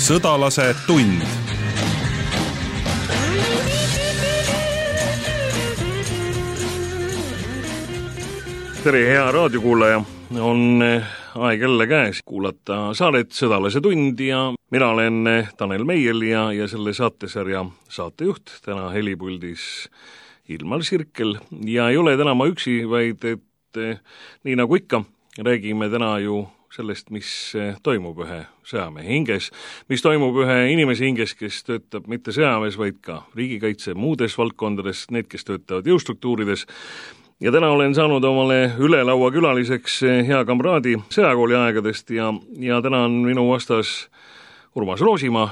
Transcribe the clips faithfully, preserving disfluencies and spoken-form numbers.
Sõdalase tund. Tere, hea raadiokuulaja, on aeg jälle käes kuulata saadet Sõdalase tund ja mina olen Tanel Meiel ja, ja selle saatesarja saatejuht, täna helipuldis Ilmar Sirkel ja ei ole täna ma üksi, vaid et nii nagu ikka, räägime täna ju sellest, mis toimub ühe sõjamehe hinges, mis toimub ühe inimese hinges, kes töötab mitte sõjamees, vaid ka riigikaitse muudes valdkondades, need, kes töötavad jõustruktuurides. Ja täna olen saanud omale üle laua külaliseks hea kamraadi sõjakooli aegadest ja, ja täna on minu vastas Urmas Roosimaa,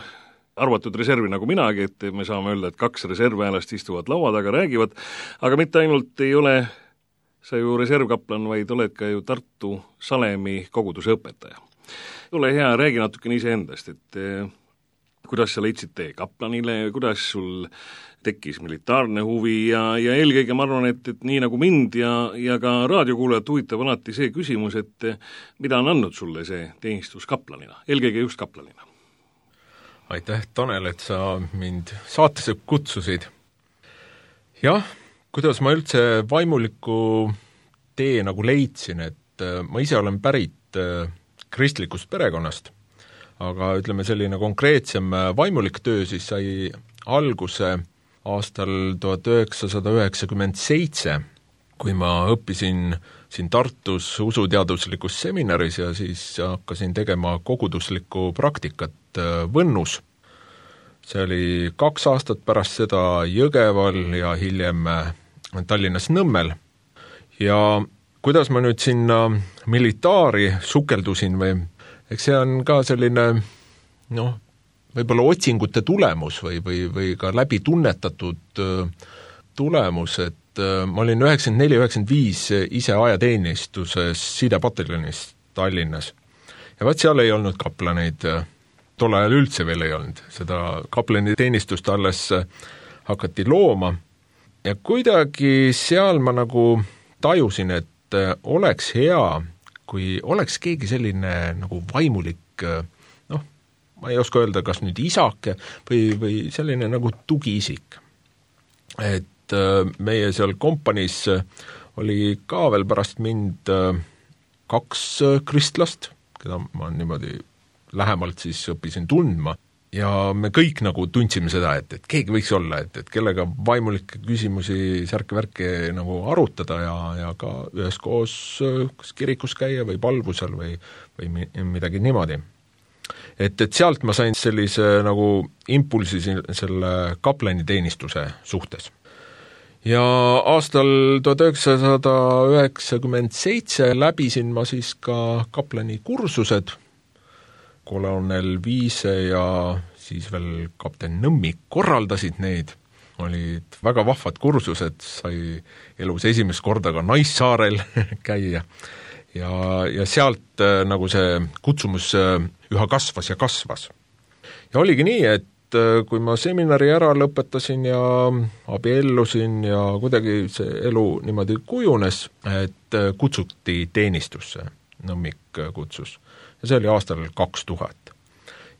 arvatud reservi nagu minagi, et me saame öelda, et kaks reservväelast istuvad laua taga, räägivad, aga mitte ainult ei ole sa ju reservkaplan, vaid oled ka ju Tartu Salemi koguduse õpetaja. Ole hea, räägi natukene iseendast, et eh, kuidas sa leidsid tee kaplanile, kuidas sul tekkis militaarne huvi ja, ja eelkõige ma arvan, et, et nii nagu mind ja, ja ka raadiokuulajat huvitab alati see küsimus, et eh, mida on andnud sulle see teenistus kaplanina, eelkõige just kaplanina? Aitäh, Tanel, et sa mind saatesse kutsusid. Jah, kuidas ma üldse vaimuliku tee nagu leidsin, et ma ise olen pärit kristlikust perekonnast, aga ütleme selline konkreetsem vaimulik töö siis sai alguse aastal tuhat üheksasada üheksakümmend seitse, kui ma õppisin siin Tartus usuteaduslikus seminaris ja siis hakkasin tegema koguduslikku praktikat Võnnus. See oli kaks aastat pärast seda Jõgeval ja hiljem Tallinnas Nõmmel. Ja kuidas ma nüüd sinna militaari sukeldusin või, eks see on ka selline, noh, võib-olla otsingute tulemus või, või, või ka läbi tunnetatud tulemus, et ma olin üheksakümmend neli üheksakümmend viis ise ajateenistuses sidepataljonis Tallinnas. Ja vaat seal ei olnud kaplaneid, tol ajal üldse veel ei olnud, seda kaplaniteenistust alles hakati looma. Ja kuidagi seal ma nagu tajusin, et oleks hea, kui oleks keegi selline nagu vaimulik, noh, ma ei oska öelda, kas nüüd isake või, või selline nagu tugiisik. Et meie seal kompaniis oli ka veel pärast mind kaks kristlast, keda ma niimoodi lähemalt siis õppisin tundma. Ja me kõik nagu tundsime seda, et, et keegi võiks olla, et, et kellega vaimulikke küsimusi särke-värke nagu arutada ja, ja ka üheskoos kas kirikus käia või palvusel või, või midagi niimoodi. Et, et sealt ma sain sellise nagu impulsi selle kaplaniteenistuse suhtes. Ja aastal tuhat üheksasada üheksakümmend seitse läbisin ma siis ka kaplani kursused, kolonel Viise ja siis veel kapten Nõmmik korraldasid neid, olid väga vahvad kursused, sai elus esimest korda ka Naissaarel käia ja, ja sealt nagu see kutsumus üha kasvas ja kasvas. Ja oligi nii, et kui ma seminari ära lõpetasin ja abiellusin ja kuidagi see elu niimoodi kujunes, et kutsuti teenistusse, Nõmmik kutsus. Ja see oli aastal kaks tuhat.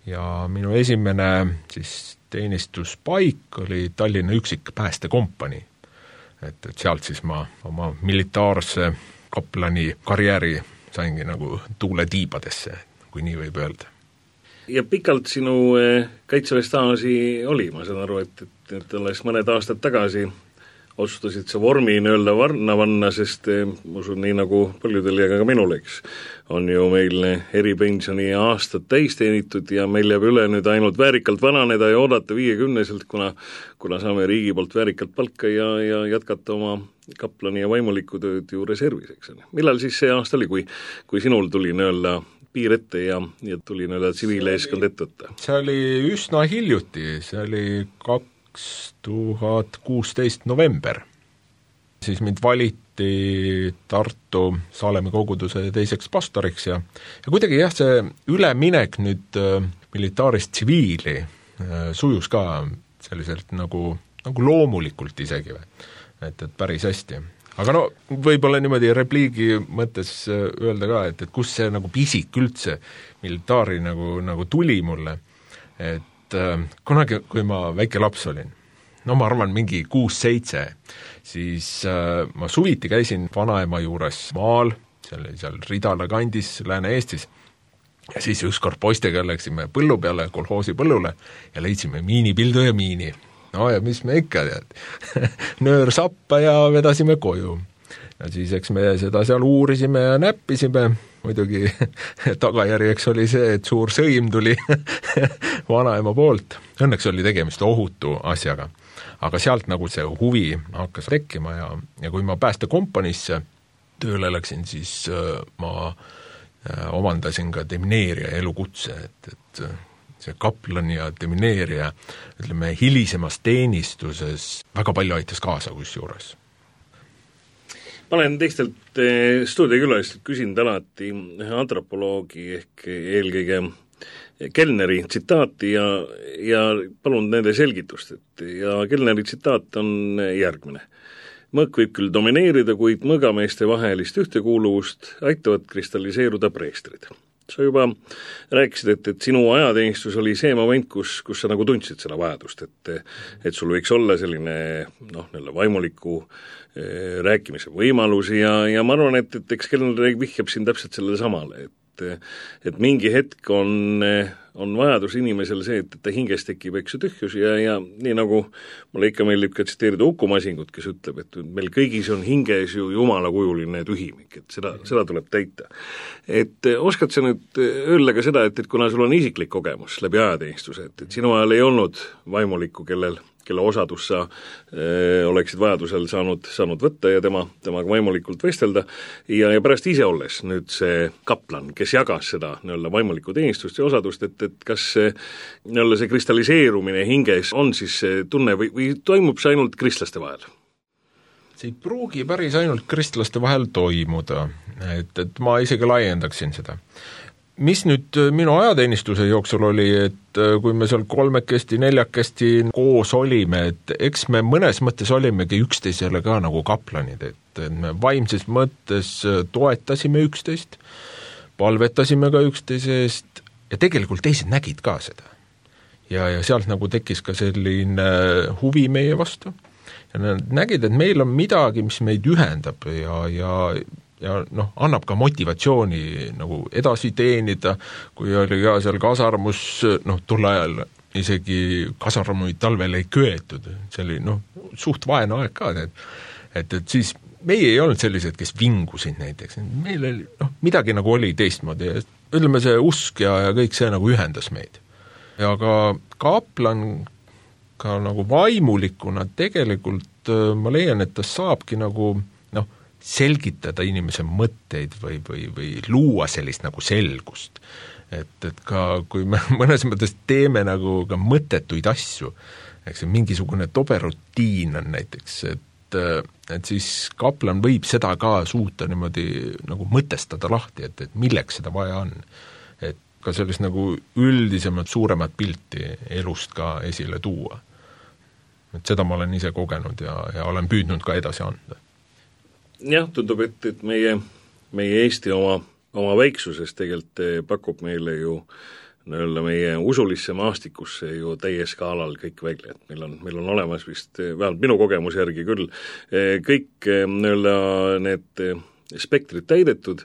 Ja minu esimene siis teenistuspaik oli Tallinna üksik päästekompani. Et, et sealt siis ma oma militaarse kaplani karjääri saingi nagu tuule tiibadesse, kui nii võib öelda. Ja pikalt sinu kaitseväestaasi oli, ma saan aru, et, et, et alles mõned aastad tagasi otsustasid sa vormi nõelda varna vanna, sest ma usun nii nagu paljudel ja ka minul, eks, on ju meil eripensioni aastad täis teenitud ja meil jääb üle nüüd ainult väärikalt vananeda ja oodata viiekümneselt, kuna, kuna saame riigi poolt väärikalt palka ja, ja jätkata oma kaplani ja vaimuliku tööd ju reservis, eks. Millal siis see aasta oli, kui, kui sinul tuli nõelda piir ette ja, ja tuli nõelda tsiviileeskond ette võtta? See oli üsna hiljuti, see oli kaks tuhat kuusteist november. Siis mind valiti Tartu Salemi koguduse teiseks pastoriks ja, ja kuidagi jah, see üleminek nüüd militaarist tsiviili sujus ka selliselt nagu, nagu loomulikult isegi, et, et päris hästi. Aga no võib-olla niimoodi repliigi mõttes öelda ka, et, et kus see nagu pisik üldse militaari nagu, nagu tuli mulle, et äh, kunagi, kui ma väike laps olin, no ma arvan mingi kuus-seitse, siis äh, ma suviti käisin vanaema juures maal, seal, seal Ridala kandis Lääne-Eestis, ja siis ükskord poistega läksime põllu peale, kolhoosi põllule ja leidsime miinipildu ja miini. No ja mis me ikka tead, nöör sappa ja vedasime koju. Ja siis eks me seda seal uurisime ja näppisime, muidugi tagajärjeks oli see, et suur sõim tuli vanaema poolt. Õnneks oli tegemist ohutu asjaga, aga sealt nagu see huvi hakkas tekkima ja, ja kui ma päästekompaniisse tööle läksin, siis äh, ma äh, omandasin ka demineerija elukutse, et, et see kaplan ja demineerija, ütleme, hilisemas teenistuses väga palju aitas kaasa kusjuures. Ma olen teistelt stuudiokülalistelt küsinud alati antropoloogi ehk eelkõige Kellneri tsitaati ja, ja palun nende selgitust, et ja Kellneri tsitaat on järgmine. Mõõk võib küll domineerida, kuid mõõgameeste vahelist ühtekuuluvust aitavad kristalliseeruda preestrid. Sa juba rääkisid, et, et sinu ajateenistus oli see moment, kus, kus sa nagu tundsid seda vajadust, et, et sul võiks olla selline noh, neile vaimuliku eh, rääkimise võimalusi ja, ja ma arvan, et, et eks Kellner vihjab siin täpselt sellele samale, et et mingi hetk on, on vajadus inimesel see, et, et ta hinges tekib eks tühjus ja, ja nii nagu mulle ikka meeldib ka tsiteerida Uku Masingut, kes ütleb, et meil kõigis on hinges ju jumalakujuline tühimik, et seda, seda tuleb täita. Et oskad sa nüüd öelda ka seda, et, et kuna sul on isiklik kogemus läbi ajateenistuse, et, et sinu ajal ei olnud vaimulikku, kellel kelle osadus sa öö, oleksid vajadusel saanud, saanud võtta ja tema, temaga vaimulikult vestelda ja, ja pärast ise olles nüüd see kaplan, kes jagas seda nii-öelda vaimulikku teenistust ja osadust, et, et kas see, nii-öelda see kristalliseerumine hinges on siis tunne või, või toimub see ainult kristlaste vahel? See ei pruugi päris ainult kristlaste vahel toimuda, et, et ma isegi laiendaksin seda. Mis nüüd minu ajateenistuse jooksul oli, et kui me seal kolmekesti, neljakesti koos olime, et eks me mõnes mõttes olimegi üksteisele ka nagu kaplanid, et me vaimses mõttes toetasime üksteist, palvetasime ka üksteise eest ja tegelikult teised nägid ka seda. Ja, ja sealt nagu tekkis ka selline huvi meie vastu ja nad nägid, et meil on midagi, mis meid ühendab ja, ja ja noh, annab ka motivatsiooni nagu edasi teenida, kui oli ka seal kasarmus, noh, tol ajal isegi kasarmuid talvel ei köetud, see oli noh, suht vaene aeg ka, et, et, et siis meie ei olnud sellised, kes vingusid näiteks, meil oli noh, midagi nagu oli teistmoodi, ütleme see usk ja, ja kõik see nagu ühendas meid. Ja ka kaplan ka nagu vaimulikuna tegelikult ma leian, et ta saabki nagu selgitada inimese mõtteid või, või, või luua sellist nagu selgust. Et, et ka kui me mõnes mõttes teeme nagu ka mõttetuid asju, eks see mingisugune tobe rutiin on näiteks, et, et siis kaplan võib seda ka suuta niimoodi nagu mõtestada lahti, et, et milleks seda vaja on. Et ka sellist nagu üldisemat, suuremat pilti elust ka esile tuua. Et seda ma olen ise kogenud ja, ja olen püüdnud ka edasi anda. Jah, tundub, et, et meie, meie Eesti oma, oma väiksuses tegelikult pakub meile ju nii-öelda meie usulisse maastikusse ju täies skaalal kõik välja, et meil on, meil on olemas vist, vähemalt minu kogemuse järgi küll, kõik nii-öelda need spektrid täidetud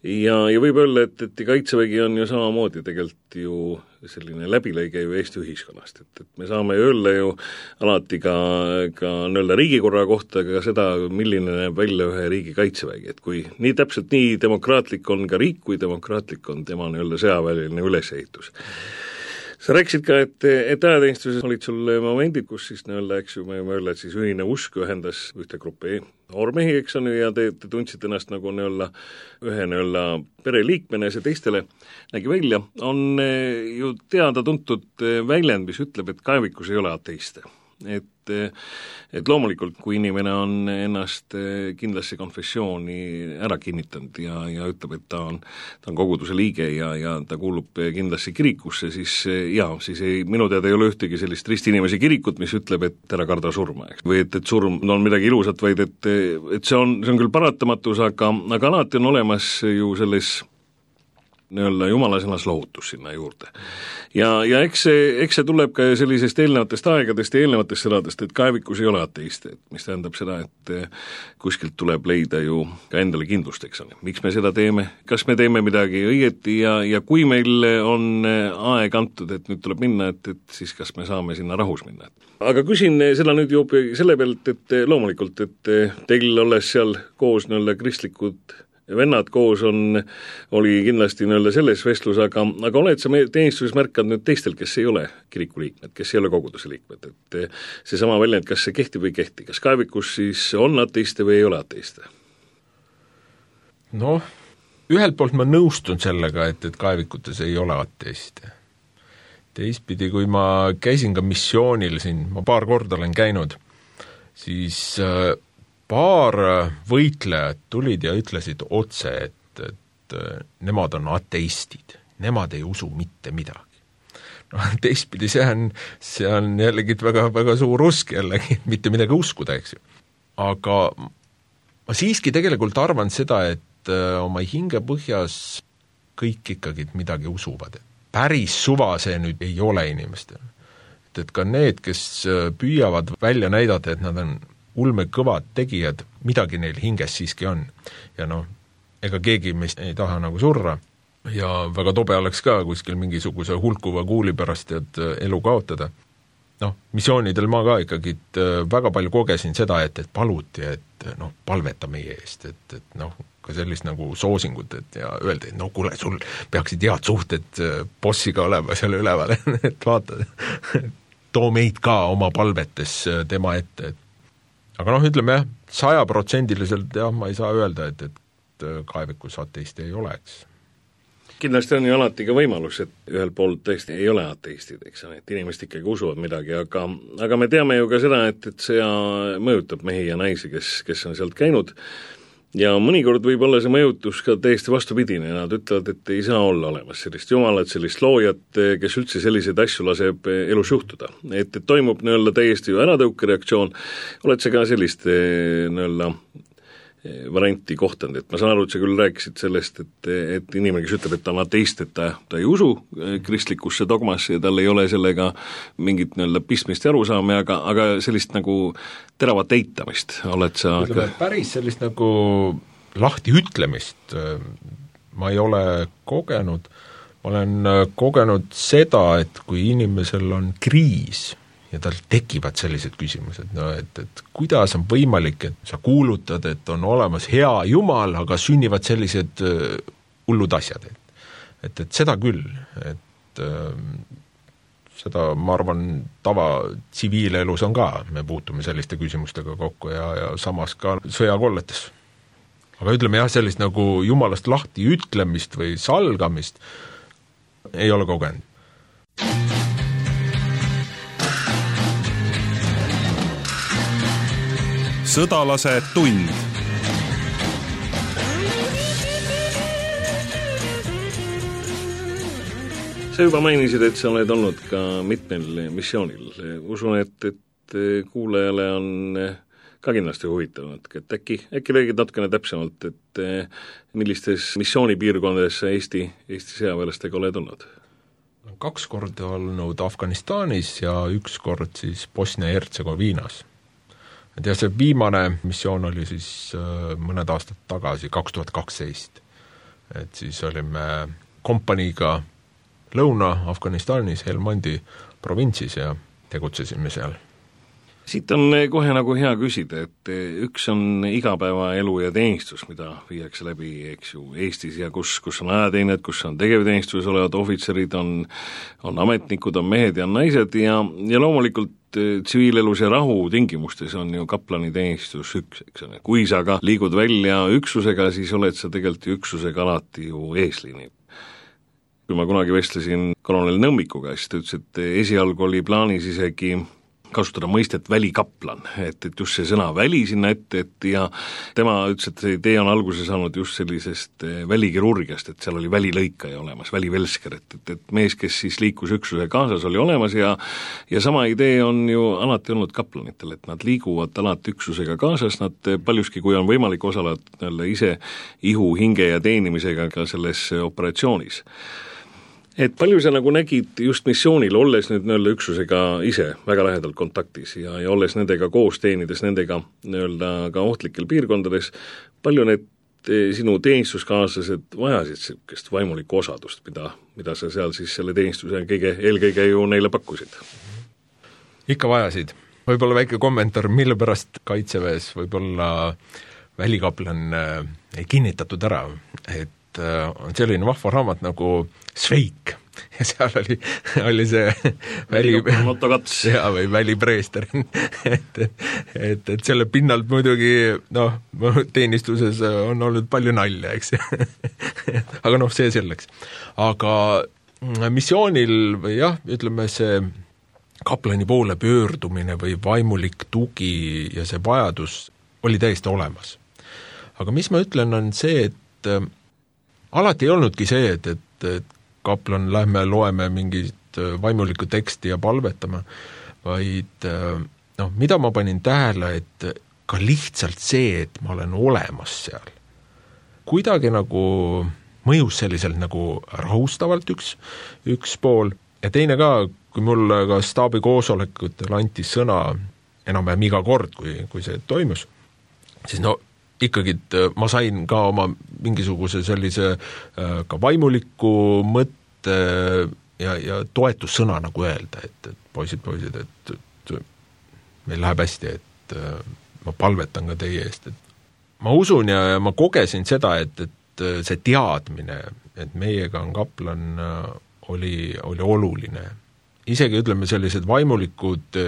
ja, ja võib öelda, et, et Kaitsevägi on ju samamoodi tegelikult ju selline läbilõige ju Eesti ühiskonnast, et, et me saame öelda ju alati ka, ka nii-öelda riigikorra kohta ka seda, milline näeb välja ühe riigi kaitsevägi, et kui nii täpselt nii demokraatlik on ka riik, kui demokraatlik on tema nii-öelda sõjaväeline ülesehitus. Sa rääkisid ka, et, et ajateenistuses olid sul momendid, kus siis nii-öelda, eks ju, me võime öelda, et siis ühine usk ühendas ühte gruppi noormehi, eks on ju, ja te, te tundsid ennast nagu nii-öelda ühe nii-öelda pereliikmene, see teistele nägi välja, on ju teada-tuntud väljend, mis ütleb, et kaevikus ei ole ateiste. Et, et loomulikult, kui inimene on ennast kindlasse konfessiooni ära kinnitanud ja, ja ütleb, et ta on, ta on koguduse liige ja, ja ta kuulub kindlasse kirikusse, siis jaa, siis ei, minu teada ei ole ühtegi sellist ristinimese kirikut, mis ütleb, et ära karda surma, eks. Või et, et surm on midagi ilusat, vaid et, et see on, see on küll paratamatus, aga, aga alati on olemas ju selles nii-öelda jumala sõnas lohutus sinna juurde. Ja, ja eks see, eks see tuleb ka sellisest eelnevatest aegadest ja eelnevatest sõdadest, et kaevikus ei ole ateiste, et mis tähendab seda, et kuskilt tuleb leida ju ka endale kindlust, eks on. Miks me seda teeme, kas me teeme midagi õieti ja, ja kui meil on aeg antud, et nüüd tuleb minna, et, et siis kas me saame sinna rahus minna. Aga küsin seda nüüd juba selle pealt, et loomulikult, et teil olles seal koos nii-öelda kristlikud vennad koos on, oli kindlasti nii-öelda selles vestlus, aga, aga oled sa teenistuses märkad nüüd teistel, kes ei ole kiriku liikmed, kes ei ole koguduse liikmed, et see sama väljend, kas see kehtib või ei kehti, kas kaevikus siis on ateiste või ei ole ateiste? Noh, ühelt poolt ma nõustun sellega, et, et kaevikutes ei ole ateiste. Teistpidi, kui ma käisin ka missioonil siin, ma paar korda olen käinud, siis äh, paar võitlejad tulid ja ütlesid otse, et, et nemad on ateistid, nemad ei usu mitte midagi. No, teistpidi see on, see on jällegi väga, väga suur usk jällegi, mitte midagi uskuda, eks ju. Aga ma siiski tegelikult arvan seda, et oma hinge põhjas kõik ikkagi midagi usuvad. Päris suva see nüüd ei ole inimestel. Et, et ka need, kes püüavad välja näidata, et nad on ulme kõvad tegijad, midagi neil hinges siiski on. Ja noh, ega keegi meist ei taha nagu surra ja väga tobe oleks ka kuskil mingisuguse hulkuva kuuli pärast et elu kaotada. Noh, missioonidel ma ka ikkagi väga palju kogesin seda, et, et paluti, et noh, palveta meie eest, et, et noh, ka sellist nagu soosingut, et ja öeldi, et no kuule, sul peaksid head suhted bossiga olema seal üleval, et vaata, too meid ka oma palvetes tema ette, et aga noh, ütleme jah, sajaprotsendiliselt jah, ma ei saa öelda, et, et kaevikus ateiste ei oleks. Kindlasti on ju alati ka võimalus, et ühel pool tõesti ei ole ateistid, eks on, et inimesed ikkagi usuvad midagi, aga, aga me teame ju ka seda, et, et see mõjutab mehi ja naisi, kes, kes on sealt käinud ja mõnikord võib olla see mõjutus ka täiesti vastupidine, nad ütlevad, et ei saa olla olemas sellist jumalat, sellist loojat, kes üldse selliseid asju laseb elus juhtuda. Et, et toimub nii-öelda täiesti ju äratõukereaktsioon, oled sa ka sellist nii-öelda varianti kohtanud, et ma saan aru, et sa küll rääkisid sellest, et, et inimene, kes ütleb, et ta on ateist, et ta, ta ei usu kristlikusse dogmasse ja tal ei ole sellega mingit nii-öelda pistmist ja arusaami, aga, aga sellist nagu teravat eitamist oled sa ütleme, päris sellist nagu lahti ütlemist ma ei ole kogenud, ma olen kogenud seda, et kui inimesel on kriis ja tal tekivad sellised küsimused, no et, et kuidas on võimalik, et sa kuulutad, et on olemas hea jumal, aga sünnivad sellised uh, hullud asjad. Et, et, et seda küll, et uh, seda, ma arvan, tava tsiviilelus on ka, me puutume selliste küsimustega kokku ja, ja samas ka sõjakolletes. Aga ütleme jah, sellist nagu jumalast lahti ütlemist või salgamist ei ole kogenud. Sõdalase tund. Sa juba mainisid, et sa oled olnud ka mitmel missioonil. Usun, et, et kuulajale on ka kindlasti huvitanud, et äkki, äkki räägid natukene täpsemalt, et millistes missioonipiirkondades sa Eesti, Eesti sõjaväelastega oled olnud? Kaks korda olnud Afganistanis ja üks kord siis Bosnia-Hertsegoviinas. Et ja see viimane missioon oli siis mõned aastad tagasi, kaks tuhat kaksteist. Et siis olime kompaniiga Lõuna-Afganistanis, Helmandi provintsis ja tegutsesime seal. Siit on kohe nagu hea küsida, et üks on igapäevaelu ja teenistus, mida viiakse läbi, eks ju, Eestis ja kus, kus on ajateened, kus on tegevteenistuses olevad ohvitserid, on, on ametnikud, on mehed ja naised ja, ja loomulikult tsiviilelus ja rahu tingimustes on ju kaplani teenistus üks, eks ole. Kui sa ka liigud välja üksusega, siis oled sa tegelikult üksusega alati ju eesliini. Kui ma kunagi vestlesin kolonel Nõmmikuga, siis ta ütles, et esialgu oli plaanis isegi kasutada mõistet välikaplan, et, et just see sõna väli sinna ette, et ja tema ütles, et see idee on alguse saanud just sellisest välikirurgiast, et seal oli välilõikaja olemas, välivelsker, et, et, et mees, kes siis liikus üksuse kaasas, oli olemas ja ja sama idee on ju alati olnud kaplanitel, et nad liiguvad alati üksusega kaasas, nad paljuski, kui on võimalik osaleda ise ihu, hinge ja teenimisega ka selles operatsioonis. Et palju sa nagu nägid just missioonil, olles nüüd nii-öelda üksusega ise väga lähedalt kontaktis ja, ja olles nendega koos, teenides nendega nii-öelda ka ohtlikel piirkondades, palju need sinu teenistuskaaslased vajasid sellist vaimulikku osadust, mida, mida sa seal siis selle teenistuse kõige, eelkõige ju neile pakkusid? Ikka vajasid. Võib-olla väike kommentaar, mille pärast Kaitseväes võib-olla välikaplan ei kinnitatud ära, et on selline vahva raamat nagu Sveik ja seal oli, oli see väli, ja, või välipreester et, et, et selle pinnalt muidugi noh, teenistuses on olnud palju nalja, eks aga noh, see selleks. Aga missioonil või jah, ütleme see kaplani poole pöördumine või vaimulik tugi ja see vajadus oli täiesti olemas. Aga mis ma ütlen, on see, et alati ei olnudki see, et, et, et kaplan lähme loeme mingit vaimulikku teksti ja palvetama, vaid noh, mida ma panin tähele, et ka lihtsalt see, et ma olen olemas seal. Kuidagi nagu mõjus selliselt nagu rahustavalt üks, üks pool ja teine ka, kui mulle ka staabi koosolekutel anti sõna enam-vähem iga kord, kui, kui see toimus, siis no ikkagi ma sain ka oma mingisuguse sellise ka vaimuliku mõtte ja, ja toetussõna nagu öelda, et, et poisid, poisid, et, et meil läheb hästi, et ma palvetan ka teie eest. Et ma usun ja, ja ma kogesin seda, et, et see teadmine, et meiega on kaplan, oli, oli oluline. Isegi ütleme sellised vaimulikud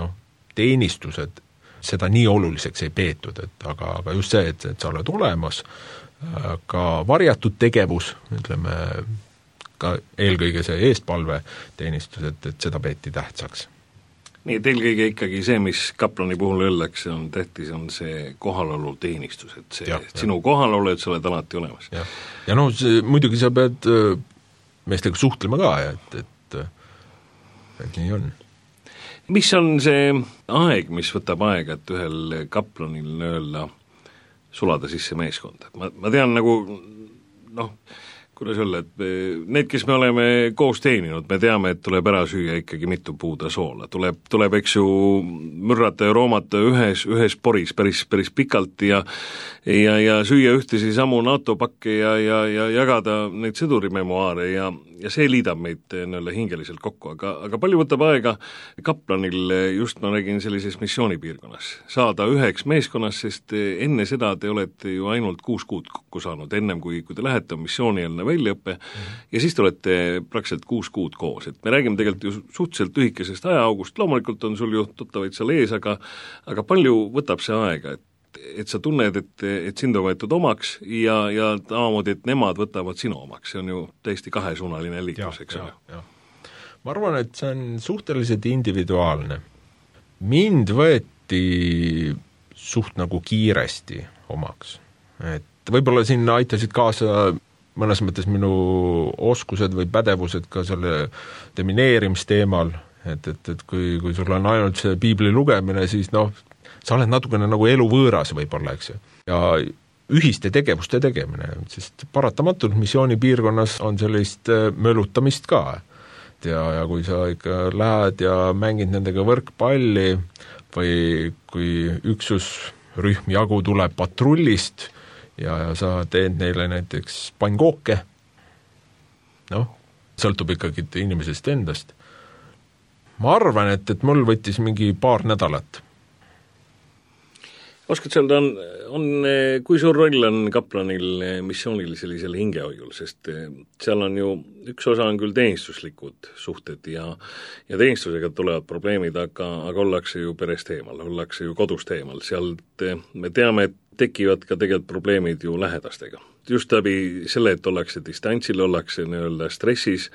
noh, teenistused, seda nii oluliseks ei peetud, et aga, aga just see, et, et sa oled olemas, ka varjatud tegevus, ütleme, ka eelkõige see eestpalve teenistus, et, et seda peeti tähtsaks. Nii, et eelkõige ikkagi see, mis kaplani puhul öeldakse, on tähtis, on see kohalolu teenistus, et see, ja, sinu ja. Kohalolu, et sa oled alati olemas. Ja, ja noh, muidugi sa pead meestega suhtlema ka, et, et, et nii on. Mis on see aeg, mis võtab aega, et ühel kaplanil öelda sulada sisse meeskonda? Ma, ma tean nagu, noh, kuidas öelda, et need, kes me oleme koos teeninud, me teame, et tuleb ära süüa ikkagi mitu puuda soola. Tuleb, tuleb eks ju mürrata ja roomata ühes, ühes poris päris, päris pikalt ja, ja, ja süüa ühtesi samu NATO pakke ja, ja, ja jagada neid sõdurimemoaare ja, ja see liidab meid nii-öelda hingeliselt kokku, aga, aga palju võtab aega kaplanil, just ma räägin sellises missioonipiirkonnas, saada üheks meeskonnas, sest enne seda te olete ju ainult kuus kuud kokku saanud, ennem kui, kui te lähete missioonielne väljaõppe mm. ja siis te olete praktiliselt kuus kuud koos, et me räägime tegelikult ju suhteliselt lühikesest ajaaugust, loomulikult on sul ju tuttavaid seal ees, aga, aga palju võtab see aega, et, et sa tunned, et, et sind on võetud omaks ja, ja samamoodi, et nemad võtavad sinu omaks, see on ju täiesti kahesuunaline liiklus, eks ole. Ma arvan, et see on suhteliselt individuaalne. Mind võeti suht nagu kiiresti omaks, et võib-olla sinna aitasid kaasa mõnes mõttes minu oskused või pädevused ka selle demineerimisteemal, et, et, et kui, kui sul on ainult see piibli lugemine, siis noh, sa oled natukene nagu eluvõõras võib-olla, eks ju. Ja ühiste tegevuste tegemine, sest paratamatult missioonipiirkonnas on sellist mölutamist ka. Ja, ja kui sa ikka lähed ja mängid nendega võrkpalli või kui üksusrühm jagu tuleb patrullist, ja, ja sa teed neile näiteks pannkooke, noh, sõltub ikkagi inimesest endast. Ma arvan, et, et mul võttis mingi paar nädalat. Oskad öelda, on, on, kui suur roll on kaplanil missioonil sellisel hingehoiul, sest seal on ju, üks osa on küll teenistuslikud suhted ja, ja teenistusega tulevad probleemid, aga, aga ollakse ju perest eemal, ollakse ju kodust eemal, sealt me teame, et tekivad ka tegelikult probleemid ju lähedastega. just läbi selle, et ollakse distantsil, ollakse nii-öelda stressis,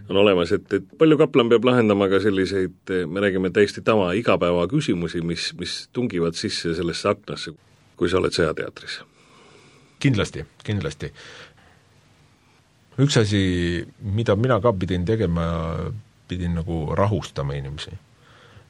on olemas, et, et palju kaplan peab lahendama ka selliseid, me räägime täiesti tava igapäeva küsimusi, mis, mis tungivad sisse sellesse aknasse, kui sa oled sõjateatris. Kindlasti, kindlasti. Üks asi, mida mina ka pidin tegema, pidin nagu rahustama inimesi.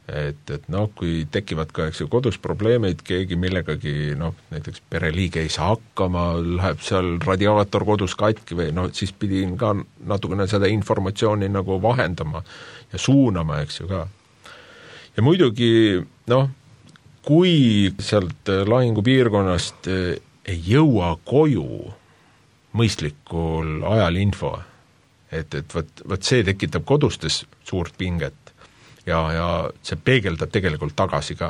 Et, et noh, kui tekivad ka eks ju kodus probleemid, keegi millegagi, noh, näiteks pereliige ei saa hakkama, läheb seal radiaator kodus katki või noh, siis pidin ka natukene seda informatsiooni nagu vahendama ja suunama, eks ju ka. Ja muidugi, noh, kui sealt lahingupiirkonnast ei jõua koju mõistlikul ajal info, et, et võt, võt see tekitab kodustes suurt pinget, ja, ja see peegeldab tegelikult tagasi ka.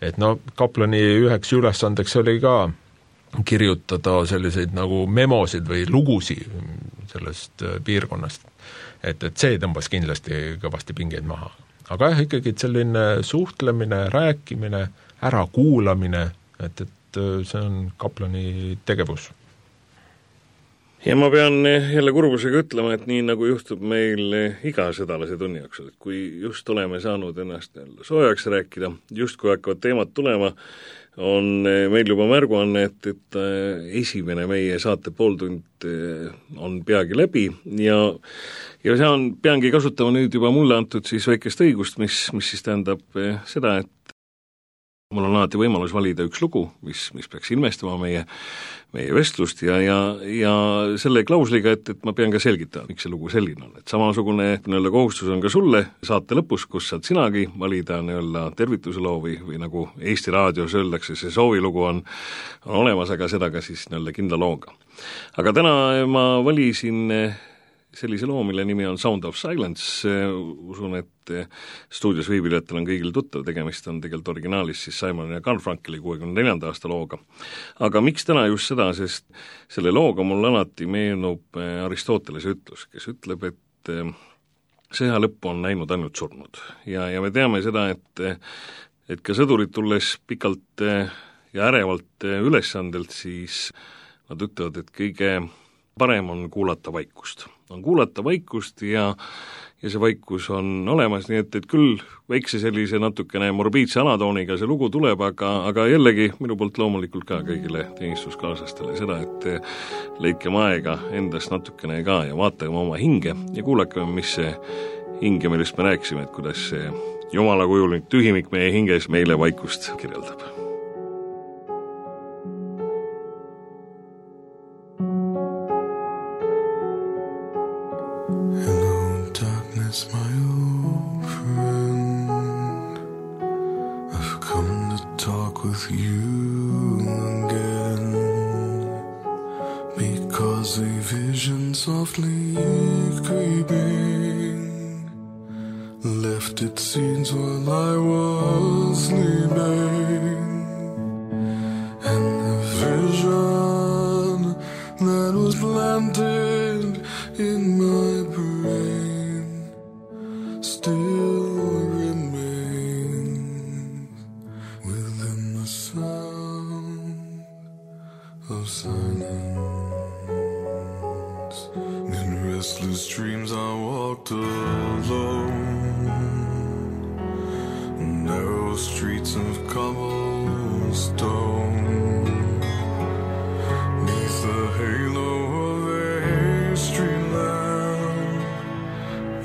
Et no kaplani üheks ülesandeks oli ka kirjutada selliseid nagu memosid või lugusi sellest piirkonnast. Et, et see tõmbas kindlasti kõvasti pingeid maha. Aga jah, ikkagi selline suhtlemine, rääkimine, ärakuulamine, et, et see on kaplani tegevus. Ja ma pean jälle kurbusega ütlema, et nii nagu juhtub meil iga sõdalase tunni jooksul, et kui just oleme saanud ennast soojaks rääkida, just kui hakkavad teemad tulema, on meil juba märguanne, et, et esimene meie saate pooltund on peagi läbi ja, ja see on, peangi kasutama nüüd juba mulle antud siis väikest õigust, mis, mis siis tähendab seda, et mul on alati võimalus valida üks lugu, mis, mis peaks ilmestama meie, meie vestlust ja, ja, ja selle klausliga, et, et ma pean ka selgitama, miks see lugu selline on. Et samasugune nii-öelda kohustus on ka sulle saate lõpus, kus saad sinagi valida nii-öelda tervituseloo või, või nagu Eesti Raadios öeldakse, see soovilugu on, on olemas, aga seda ka siis nii-öelda kindla looga. Aga täna ma valisin sellise loo, mille nimi on Sound of Silence, usun, et stuudios viibijatel on kõigil tuttav, tegemist on tegelikult originaalis siis Simon ja Garfunkeli kuuekümne neljanda aasta looga. Aga miks täna just seda, sest selle looga mul alati meenub Aristotelese ütlus, kes ütleb, et sõja lõppu on näinud ainult surnud. Ja, ja me teame seda, et, et ka sõdurid tulles pikalt ja ärevalt ülesandelt, siis nad ütlevad, et kõige parem on kuulata vaikust. On kuulata vaikust ja, ja see vaikus on olemas, nii et, et küll väikse sellise natukene morbiidse alatooniga see lugu tuleb, aga, aga jällegi minu poolt loomulikult ka kõigile teenistuskaaslastele seda, et leidkem aega endast natukene ka ja vaatame oma hinge ja kuulakame, mis see hinge, millest me rääkisime, et kuidas see jumala kujuline tühimik meie hinges meile vaikust kirjeldab. My old friend, I've come to talk with you again, because a vision softly creeping left its scenes while I was sleeping, and the vision that was planted in my brain still remains within the sound of silence. In restless dreams I walked alone, narrow streets of cobblestone, neath the halo of a street lamp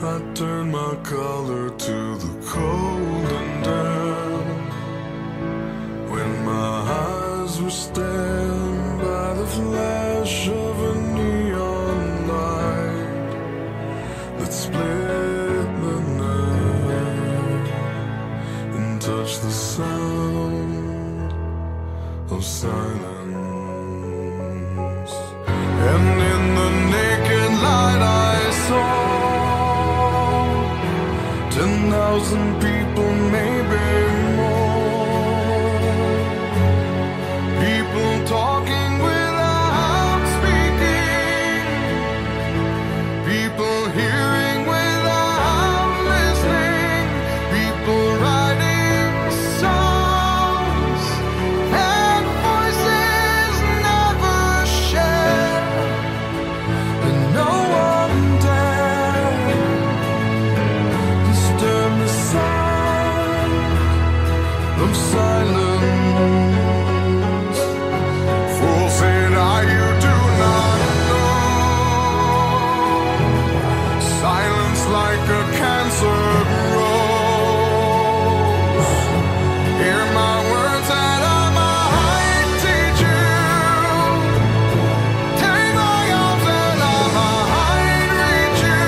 I turned my collar to the cold and damp, when my eyes were stabbed by the flash of a neon light that split the night and touched the sound of silence. And in the naked light I saw ten thousand people, maybe more, people talking without speaking, people hearing without listening, people writing songs and voices never shared. answer rose. Hear my words that I might teach you. Take my arms and I might reach you.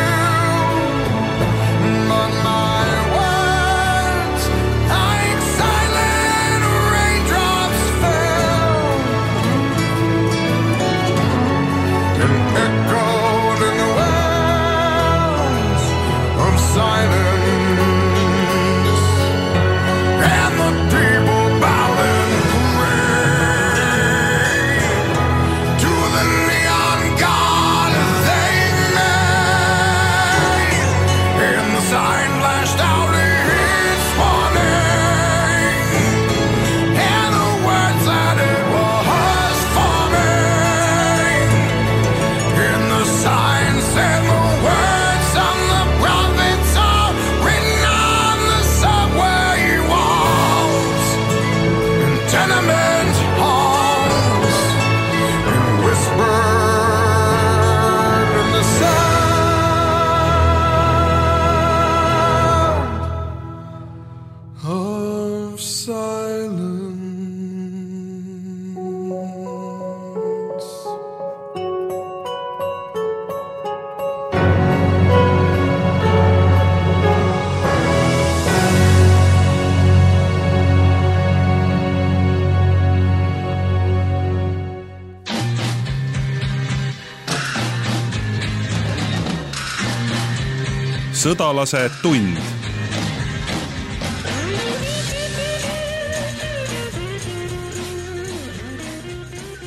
But my words, like silent raindrops, fell and echoed in the wells of silence, and the people bowed and prayed to the neon god they made, and the sign flashed out its warning, and the words that it was forming, and the sign said the words of the prophets are written on the subway walls and tenement halls, and whispered in the sound of silence. Sõdalase tund.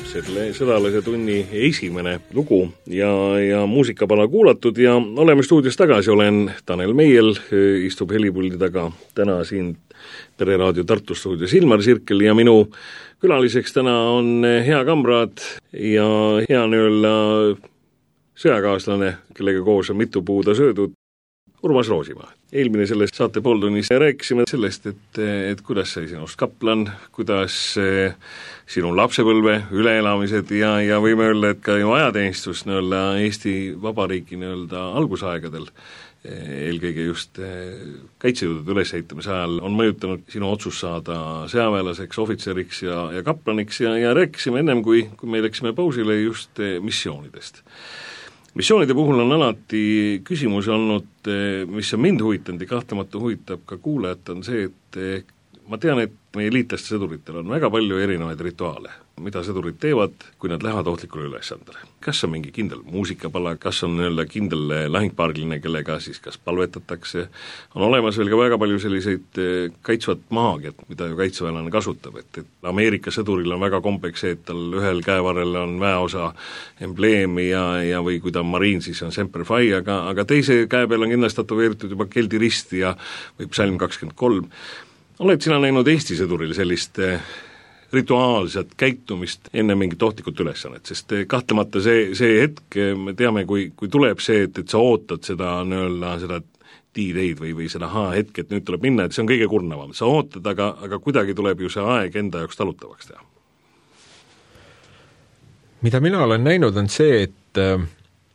Selle sõdalase tunni esimene lugu ja, ja muusikapala kuulatud ja oleme stuudios tagasi, olen Tanel Meiel, istub helipuldi taga täna siin Pereraadio Tartu stuudios Ilmar Sirkel ja minu külaliseks täna on hea kamraad ja hea nii-öelda sõjakaaslane, kellega koos on mitu puuda söödud, Urmas Roosimaa. Eelmine selles saate pooltunnis rääkisime sellest, et, et kuidas sai sinust kaplan, kuidas sinu lapsepõlve üleelamised ja, ja võime öelda, et ka ju ajateenistus nii-öelda Eesti Vabariigi nii-öelda algusaegadel, eelkõige just kaitsejõudude ülesehitamise ajal on mõjutanud sinu otsus saada sõjaväelaseks, ohvitseriks ja, ja kaplaniks ja, ja rääkisime ennem, kui, kui me läksime pausile just missioonidest. Missioonide puhul on alati küsimus olnud, mis on mind huvitanud ja kahtlemata huvitab ka kuulajat, on see, et ma tean, et meie liitlaste sõduritel on väga palju erinevaid rituaale, mida sõdurid teevad, kui nad lähevad ohtlikule ülesandele. Kas on mingi kindel muusikapala, kas on nii-öelda kindel lahingpaargline, kellega siis kas palvetatakse, on olemas veel ka väga palju selliseid kaitsvat maagiat, mida ju kaitseväelane kasutab, et, et Ameerika sõduril on väga kombeks see, et tal ühel käevarrel on väeosa embleemi ja, ja või kui ta on mariin, siis on Semper Fi, aga, aga teise käe peal on kindlasti tatueeritud juba Keldi rist ja või psalm kakskümmend kolm. Oled sina näinud Eesti sõduril sellist rituaalset käitumist enne mingit ohtlikut ülesannet, sest kahtlemata see, see hetk, me teame, kui, kui tuleb see, et, et sa ootad seda nii-öelda seda D-Day'd või, või seda H-hetk, et nüüd tuleb minna, et see on kõige kurnavam. Sa ootad, aga, aga kuidagi tuleb ju see aeg enda jaoks talutavaks teha. Mida mina olen näinud, on see, et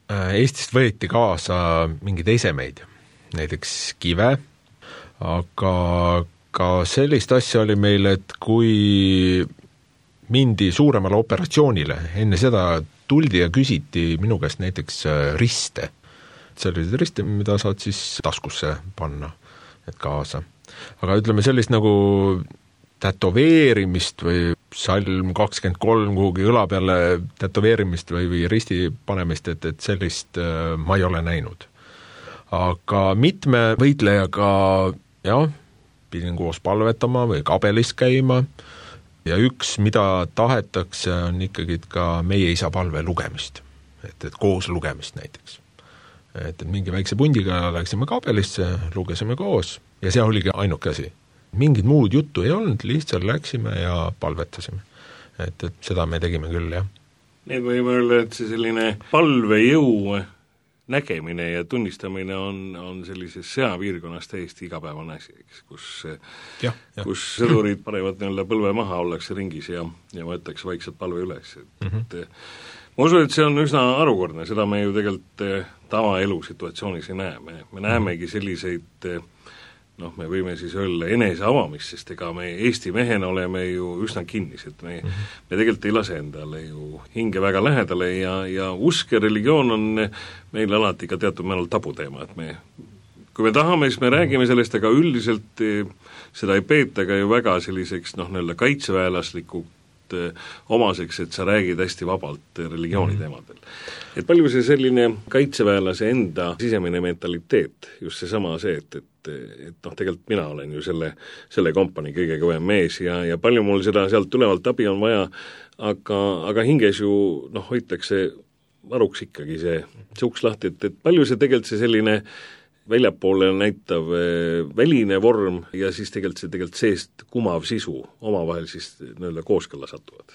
Eestist võeti kaasa mingeid esemeid, näiteks kive, aga ka sellist asja oli meil, et kui mindi suuremale operatsioonile, enne seda tuldi ja küsiti minu käest näiteks riste. Sellised riste, mida saad siis taskusse panna, et kaasa. Aga ütleme sellist nagu tätoveerimist või salm kakskümmend kolm kuhugi õla peale tätoveerimist või, või risti panemist, et, et sellist äh, ma ei ole näinud. Aga mitme võitlejaga, jah, pidin koos palvetama või kabelis käima ja üks, mida tahetakse, on ikkagi ka meie isa palve lugemist, et, et koos lugemist näiteks. Et, et mingi väikse pundiga läksime kabelisse, lugesime koos ja see oligi ainuke asi. Mingid muud juttu ei olnud, lihtsalt läksime ja palvetasime. Et, et seda me tegime küll, jah. Need võime öelda, et see selline palvejõu nägemine ja tunnistamine on, on sellises sõjapiirkonnas täiesti igapäevane asi, kus, ja, ja. kus sõdurid panevad nii-öelda põlve maha, ollakse ringis ja, ja võetakse vaikselt palve üles. Et, mm-hmm. et ma usun, et see on üsna harukordne, seda me ju tegelikult tavaelu situatsioonis ei näe, me, me näemegi selliseid noh, me võime siis öelda enese avamist, sest ega me Eesti mehena oleme ju üsna kinnised, me, mm -hmm. me tegelikult ei lase endale ju hinge väga lähedale ja, ja usk ja religioon on meil alati ka teatud määral tabuteema, et me kui me tahame, siis me räägime sellest, aga üldiselt seda ei peeta ka ju väga selliseks noh, nii-öelda kaitseväelaslikult omaseks, et sa räägid hästi vabalt religiooni teemadel. Et palju see selline kaitseväelase enda sisemine mentaliteet, just seesama see, et, et, et noh, tegelikult mina olen ju selle, selle kompanii kõige kõvem mees ja, ja palju mul seda sealt tulevalt abi on vaja, aga, aga hinges ju noh, hoitakse varuks ikkagi see, see uks lahti, et, et palju see tegelikult see selline väljapoole näitav väline vorm ja siis tegelikult see tegelikult seest kumav sisu omavahel siis nii-öelda kooskõlla satuvad.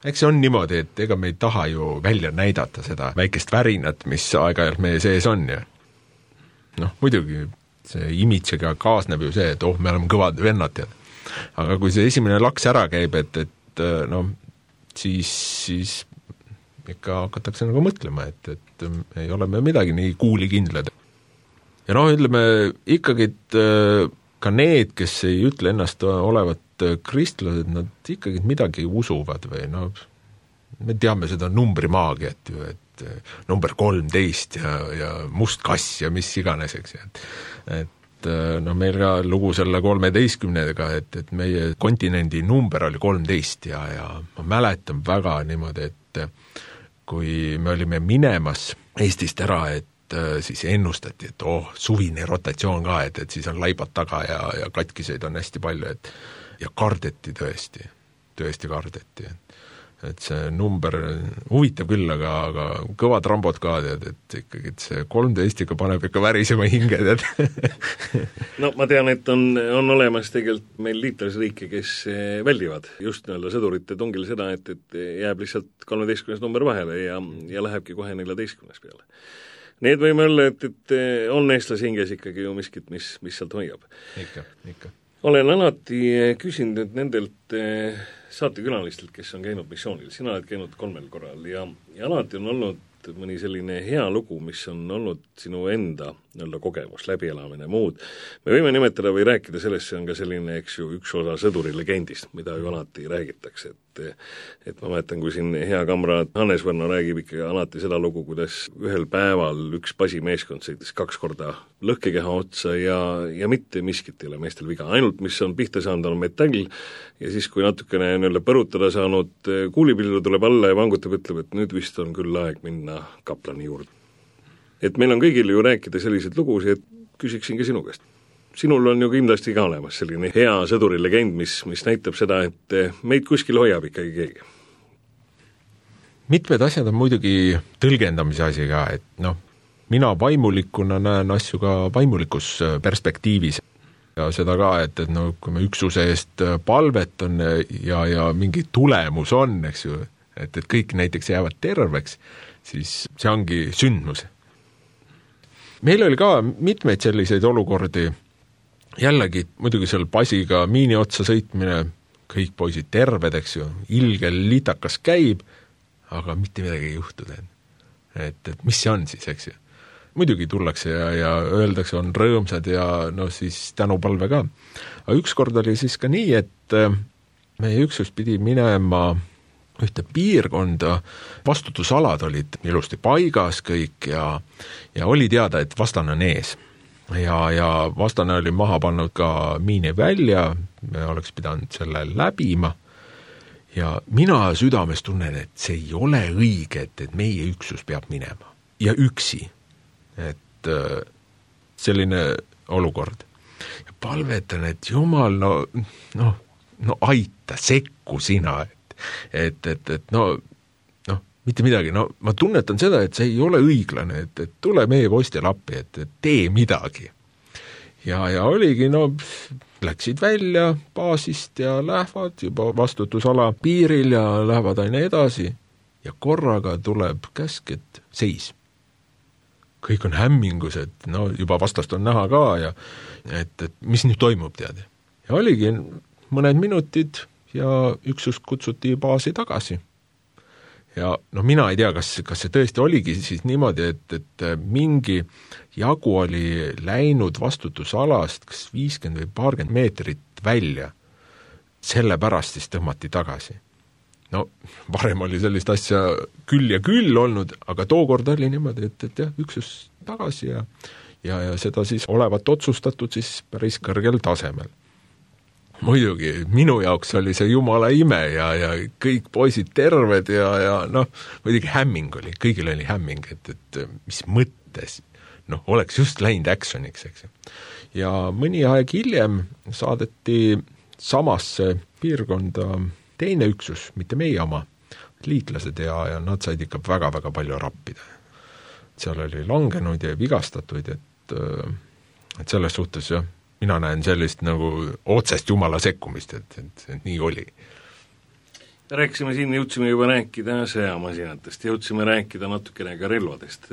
Eks see on niimoodi, et ega me ei taha ju välja näidata seda väikest värinat, mis aeg-ajalt meie sees on ja noh, muidugi see imidžega kaasneb ju see, et oh, me oleme kõvad vennad ja aga kui see esimene laks ära käib, et, et noh, siis, siis ikka hakatakse nagu mõtlema, et, et ei ole me midagi nii kuulikindlad. Ja noh, ütleme ikkagi, et ka need, kes ei ütle ennast olevat kristlased, nad ikkagi midagi usuvad või noh, me teame seda numbrimaagiat ju, et number kolmteist ja, ja must kass ja mis iganes, eks, et, et noh, meil ka lugu selle kolmeteistkümnega, et, et meie kontinendi number oli kolmteist ja, ja ma mäletan väga niimoodi, et kui me olime minemas Eestist ära, et siis ennustati, et oh, suvine rotatsioon ka, et, et siis on laibad taga ja, ja katkiseid on hästi palju, et ja kardeti tõesti, tõesti kardeti, et, et see number huvitav küll, aga, aga kõvad rambod ka, tead, et ikkagi et see kolmteist ikka paneb ikka värisema hinge, tead. No ma tean, et on, on olemas tegelikult meil liitlasriike, kes väldivad just nii-öelda sõdurite tungil seda, et, et jääb lihtsalt kolmeteistkümnes number vahele ja, ja lähebki kohe neljateistkümnes peale. Need võime olla, et, et on eestlase hinges ikkagi ju miskit, mis, mis sealt hoiab. Ikka, ikka. Olen alati küsinud nendelt saatekülalistelt, kes on käinud missioonil, sina oled käinud kolmel korral ja, ja alati on olnud mõni selline hea lugu, mis on olnud sinu enda nii-öelda kogemus, läbielamine, muud. Me võime nimetada või rääkida sellest, see on ka selline, eks ju, üks osa sõduri legendist, mida ju alati räägitakse, et et ma mäletan, kui siin hea kamraad Hannes Võrno räägib ikka alati seda lugu, kuidas ühel päeval üks basimeeskond sõitis kaks korda lõhkekeha otsa ja, ja mitte miskit ei ole meestel viga, ainult mis on pihta saanud, on metall ja siis, kui natukene nii-öelda põrutada saanud, kuulipildu tuleb alla ja vangutab, ütleb, et nüüd vist on küll aeg minna kaplani juurde. Et meil on kõigil ju rääkida selliseid lugusid, et küsiksin ka sinu käest. Sinul on ju kindlasti ka olemas selline hea sõduri legend, mis, mis näitab seda, et meid kuskil hoiab ikkagi keegi. Mitmed asjad on muidugi tõlgendamise asi ka, et noh, mina vaimulikuna näen asju ka vaimulikus perspektiivis ja seda ka, et, et no, kui me üksuse eest palvet on ja, ja mingi tulemus on, eks ju, et, et kõik näiteks jäävad terveks, siis see ongi sündmus. Meil oli ka mitmeid selliseid olukordi, jällegi muidugi seal basiga miini otsa sõitmine, kõik poisid terved, eks ju, ilgel litakas käib, aga mitte midagi ei juhtu. Et, et mis see on siis, eks ju. Muidugi tullakse ja, ja öeldakse, on rõõmsad ja no siis tänupalve ka. Aga ükskord oli siis ka nii, et meie üksus pidi minema ühte piirkonda, vastutusalad olid ilusti paigas kõik ja, ja oli teada, et vastane on ees. Ja, ja vastane oli maha pannud ka miini välja, me oleks pidanud selle läbima ja mina südames tunnen, et see ei ole õige, et, et meie üksus peab minema ja üksi, et selline olukord. Ja palvetan, et jumal, no, no, no aita, sekku sina, et et, et, et no, no, mitte midagi, no ma tunnetan seda, et see ei ole õiglane, et, et tule meie poistel appi, et, et tee midagi. Ja, ja oligi, no, läksid välja baasist ja lähevad juba vastutusala piiril ja lähevad aina edasi ja korraga tuleb käsk, et seis. Kõik on hämmingus, et no juba vastast on näha ka ja et, et mis nüüd toimub, tead. Ja oligi mõned minutid ja üksus kutsuti baasi tagasi. ja noh, mina ei tea, kas, kas see tõesti oligi siis niimoodi, et, et mingi jagu oli läinud vastutusalast kas viiskümmend või paarkümmend meetrit välja, sellepärast siis tõmmati tagasi. No varem oli sellist asja küll ja küll olnud, aga tookord oli niimoodi, et, et jah, üksus tagasi ja, ja, ja seda siis olevat otsustatud siis päris kõrgel tasemel. Muidugi, minu jaoks oli see jumala ime ja, ja kõik poisid terved ja, ja noh, muidugi hämming oli, kõigil oli hämming, et, et mis mõttes, noh, oleks just läinud actioniks, eks. Ja mõni aeg hiljem saadeti samasse piirkonda teine üksus, mitte meie oma, liitlased ja, ja nad said ikka väga-väga palju rappida. Seal oli langenud ja vigastatuid, et, et selles suhtes jah, mina näen sellist nagu otsest jumala sekkumist, et, et, et nii oli. Rääkisime siin, jõudsime juba rääkida sõjamasinatest, jõudsime rääkida natukene ka relvadest.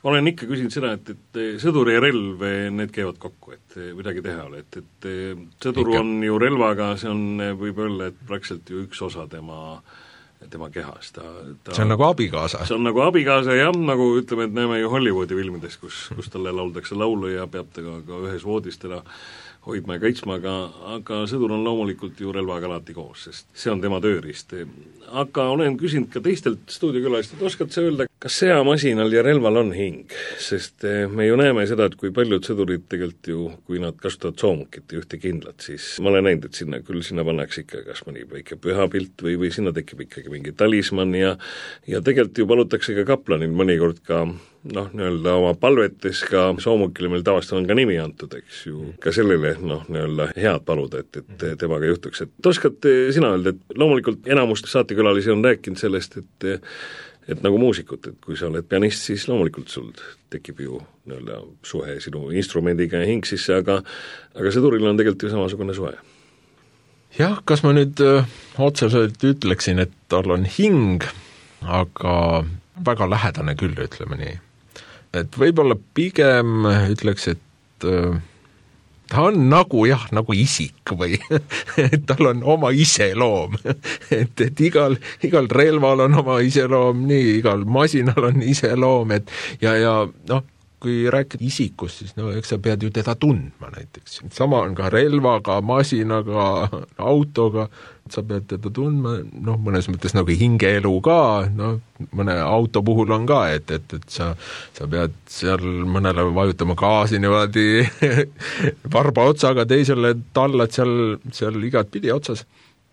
Olen ikka küsinud seda, et, et sõdur ja relv, need käivad kokku, et midagi teha ole, et, et sõdur ikka on ju relvaga, see on, võib öelda, et praktiliselt ju üks osa tema, tema kehast. Ta, ta, see on nagu abikaasa. See on nagu abikaasa, jah, nagu ütleme, et näeme ju Hollywoodi filmides, kus, kus talle lauldakse laulu ja peab tega ka ühes voodis teda hoidma ja kaitsma, aga, aga sõdur on loomulikult ju relvaga alati koos, sest see on tema tööriist. Aga olen küsinud ka teistelt stuudiokülalist, et oskad sa öelda, kas sõjamasinal ja relval on hing? Sest me ju näeme seda, et kui paljud sõdurid tegelikult ju, kui nad kasutavad soomukit ja ühte kindlat, siis ma olen näinud, et sinna, küll sinna pannakse ikka kas mõni väike pühapilt või, või sinna tekib ikkagi mingi talisman ja ja tegelikult ju palutakse ka kaplanil mõnikord ka noh, nii-öelda oma palvetes ka soomukile meil tavaliselt on ka nimi antud, eks ju, ka sellele noh, nii-öelda head paluda, et, et temaga juhtuks. Et oskad sina öelda, et loomulikult enamust saatekülalisi on rääkinud sellest, et et nagu muusikut, et kui sa oled pianist, siis loomulikult sul tekib ju nii-öelda suhe sinu instrumendiga ja hing sisse, aga aga sõduril on tegelikult ju samasugune suhe. Jah, kas ma nüüd öö, otseselt ütleksin, et tal on hing, aga väga lähedane küll, ütleme nii. Et võib-olla pigem ütleks, et öö, ta on nagu jah, nagu isik või tal on oma iseloom et, et igal, igal relval on oma iseloom, nii igal masinal on iseloom, et ja, ja noh, kui rääkida isikust, siis no eks sa pead ju teda tundma näiteks. Sama on ka relvaga, masinaga, autoga, sa pead teda tundma, noh, mõnes mõttes nagu hingeelu ka, noh, mõne auto puhul on ka, et, et, et sa, sa pead seal mõnele vajutama gaasi niimoodi varba otsaga, teisele tallad seal, seal igat pidi otsas.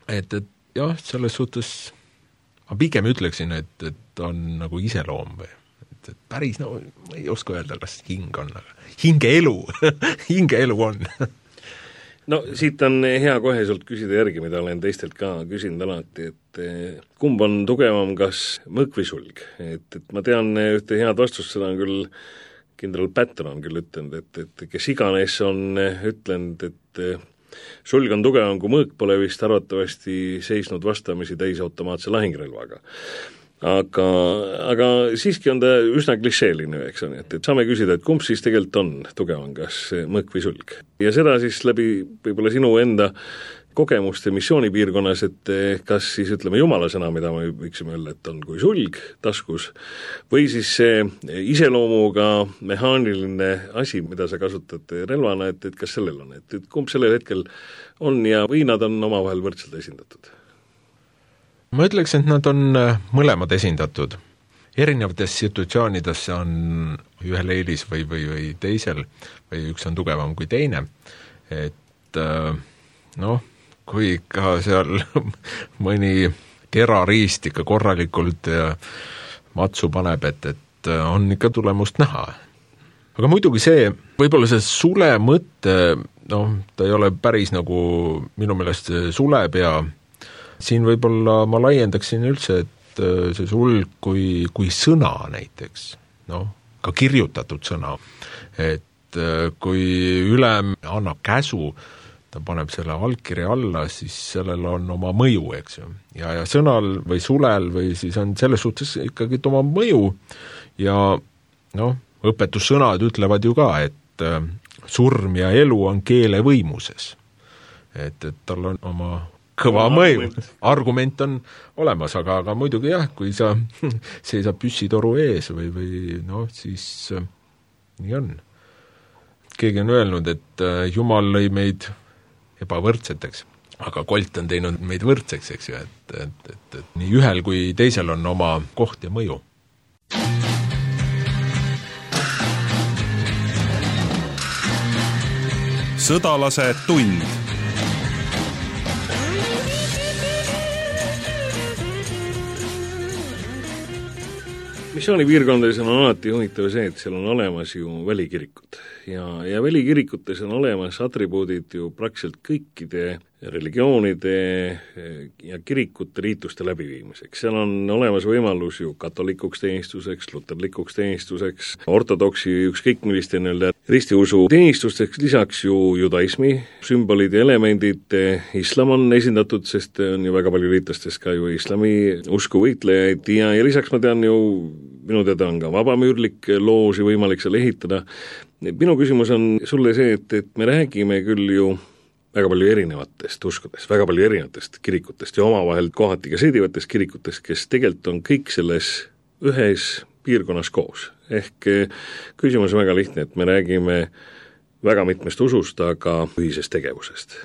Et, et jah, selles suhtes ma pigem ütleksin, et, et on nagu iseloom või et, et päris, no ma ei oska öelda, kas hing on, aga hingeelu hingeelu on no siit on hea kohe sult küsida järgi, mida olen teistelt ka küsinud alati, et kumb on tugevam, kas mõõk või sulg? Et, et ma tean ühte head vastust, seda on küll kindral Patton on küll ütlenud, et, et kes iganes on ütlenud, et sulg on tugevam kui mõõk, pole vist arvatavasti seisnud vastamisi täisautomaatse lahingrelvaga. Aga, aga siiski on ta üsna klišeeline, eks on, et, et saame küsida, et kumb siis tegelikult on tugevam, kas mõõk või sulg. Ja seda siis läbi võib-olla sinu enda kogemuste missioonipiirkonnas, et kas siis ütleme jumala sõna, mida me võiksime öelda, et on kui sulg taskus, või siis see iseloomuga mehaaniline asi, mida sa kasutad relvana, et, et kas sellel on, et, et kumb sellel hetkel on ja või nad on omavahel võrdselt esindatud? Ma ütleks, et nad on mõlemad esindatud. Erinevates situatsioonides on ühel eelis või, või, või teisel, või üks on tugevam kui teine. Et noh, kui ikka seal mõni terariist ikka korralikult ja matsu paneb, et, et on ikka tulemust näha. Aga muidugi see, võib-olla see sule mõtte, noh, ta ei ole päris nagu minu meelest sulepea. Siin võib-olla ma laiendaksin üldse, et see sulg kui, kui sõna näiteks, noh, ka kirjutatud sõna, et kui ülem annab käsu, ta paneb selle allkirja alla, siis sellel on oma mõju, eks ju. Ja, ja sõnal või sulel või siis on selles suhtes ikkagi oma mõju ja noh, õpetussõnad ütlevad ju ka, et surm ja elu on keele võimuses. Et, et tal on oma kõva mõju. Argument on olemas, aga, aga muidugi jah, kui sa seisab püssitoru ees või, või noh, siis äh, nii on. Keegi on öelnud, et äh, Jumal lõi meid ebavõrdseteks, aga Kolt on teinud meid võrdseks, eks ju, et, et, et, et nii ühel kui teisel on oma koht ja mõju. Sõdalase tund. Missioonipiirkondades on alati huvitav see, et seal on olemas ju välikirikud ja, ja välikirikutes on olemas atribuudid ju praktiliselt kõikide religioonide ja kirikute riituste läbiviimiseks. Seal on olemas võimalus ju katolikuks teenistuseks, luterlikuks teenistuseks, ortodoksi ükskõik milliste nii-öelda ristiusu teenistusteks, lisaks ju judaismi sümbolid ja elemendid, islam on esindatud, sest on ju väga palju liitlastest ka ju islami usku võitlejaid ja, ja lisaks ma tean ju, minu teada on ka vabamüürlik looži võimalik seal ehitada. Minu küsimus on sulle see, et, et me räägime küll ju väga palju erinevatest uskudest, väga palju erinevatest kirikutest ja omavahel kohati ka sõidivatest kirikutest, kes tegelikult on kõik selles ühes piirkonnas koos. Ehk küsimus on väga lihtne, et me räägime väga mitmest usust, aga ühisest tegevusest.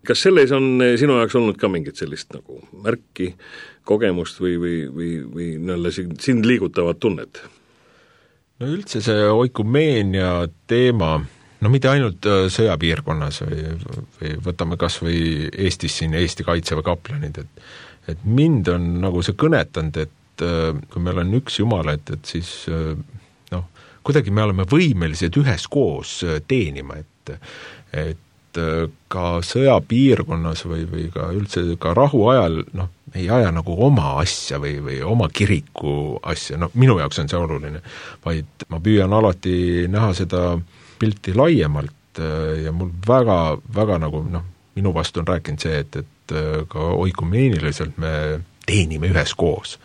Kas selles on sinu jaoks olnud ka mingit sellist nagu märki, kogemust või, või, või, või nõlle sind liigutavat tunnet? No üldse see oikumeenia teema, no mitte ainult sõjapiirkonnas või, või võtame kas või Eestis siin Eesti kaitseväe kaplanid, et, et mind on nagu see kõnetanud, et kui meil on üks Jumal, et, et siis noh, kuidagi me oleme võimelised üheskoos teenima, et, et ka sõjapiirkonnas või, või ka üldse ka rahu ajal, noh, ei aja nagu oma asja või, või oma kiriku asja, no minu jaoks on see oluline, vaid ma püüan alati näha seda pilti laiemalt ja mul väga, väga nagu noh, minu vastu on rääkinud see, et, et ka oikumeeniliselt me teenime üheskoos.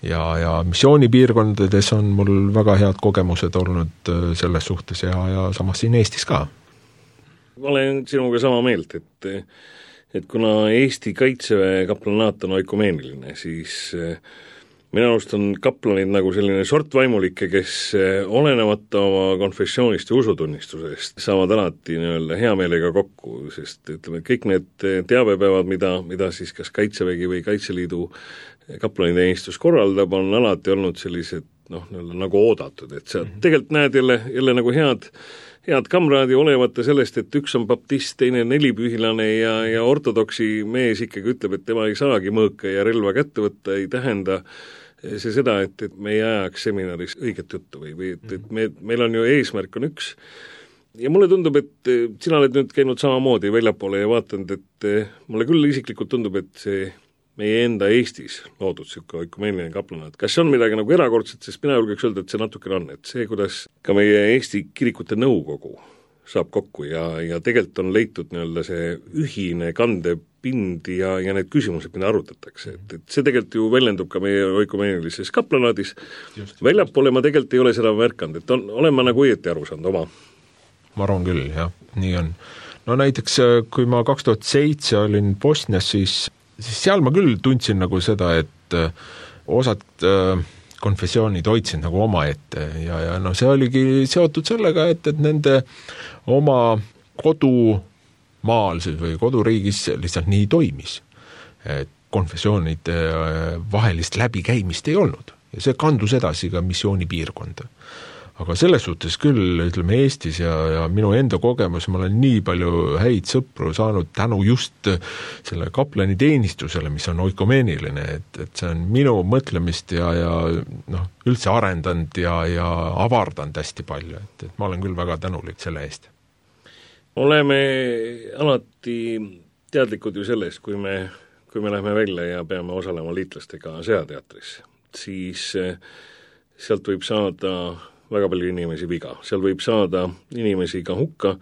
Ja, ja missioonipiirkondades on mul väga head kogemused olnud selles suhtes ja, ja samas siin Eestis ka. Ma olen sinuga sama meelt, et, et kuna Eesti kaitseväe kaplanaat on oikumeeniline, siis minu arust on kaplanid nagu selline sort vaimulikke, kes olenemata oma konfessioonist ja usutunnistusest saavad alati nii-öelda hea meelega kokku, sest ütleme, kõik need teabepäevad, mida, mida siis kas Kaitsevägi või Kaitseliidu kaplaniteenistus korraldab, on alati olnud sellised noh, nagu oodatud, et sa tegelikult näed jälle, jälle nagu head head kamraadi olevate sellest, et üks on baptist, teine nelipühilane ja, ja ortodoksi mees ikkagi ütleb, et tema ei saagi mõõka ja relva kätte võtta, ei tähenda see seda, et, et me ei ajaks seminaris õiget juttu või, või et, et me, meil on ju eesmärk on üks. Ja mulle tundub, et sina oled nüüd käinud samamoodi väljapoole ja vaatanud, et mulle küll isiklikult tundub, et see meie enda Eestis loodud siuke oikumeeniline kaplanaat. Kas see on midagi nagu erakordset, sest mina julgeks öelda, et see natukene on, et see, kuidas ka meie Eesti kirikute nõukogu saab kokku ja, ja tegelikult on leitud nii-öelda see ühine kandepind ja, ja need küsimused, mida arutatakse. Et, et see tegelikult ju väljendub ka meie oikumeenilises kaplanaadis. Väljapoole ma tegelikult ei ole seda märkanud, et on, olen ma nagu õieti aru saanud oma. Ma arvan küll, jah, nii on. No näiteks, kui ma kaks tuhat seitse olin Bosnias, siis siis seal ma küll tundsin nagu seda, et osad konfessioonid hoidsid nagu oma ette ja, ja no see oligi seotud sellega, et, et nende oma kodumaal või koduriigis lihtsalt nii toimis. Et konfessioonide vahelist läbikäimist ei olnud ja see kandus edasi ka missioonipiirkonda. Aga selles suhtes küll, ütleme Eestis ja, ja minu enda kogemus, ma olen nii palju häid sõpru saanud tänu just selle kaplani teenistusele, mis on oikumeeniline, et, et see on minu mõtlemist ja, ja noh, üldse arendanud ja, ja avardanud hästi palju, et, et ma olen küll väga tänulik selle eest. Oleme alati teadlikud ju sellest, kui me, kui me lähme välja ja peame osalema liitlastega sõjateatris, siis sealt võib saada väga palju inimesi viga. Seal võib saada inimesi ka hukka,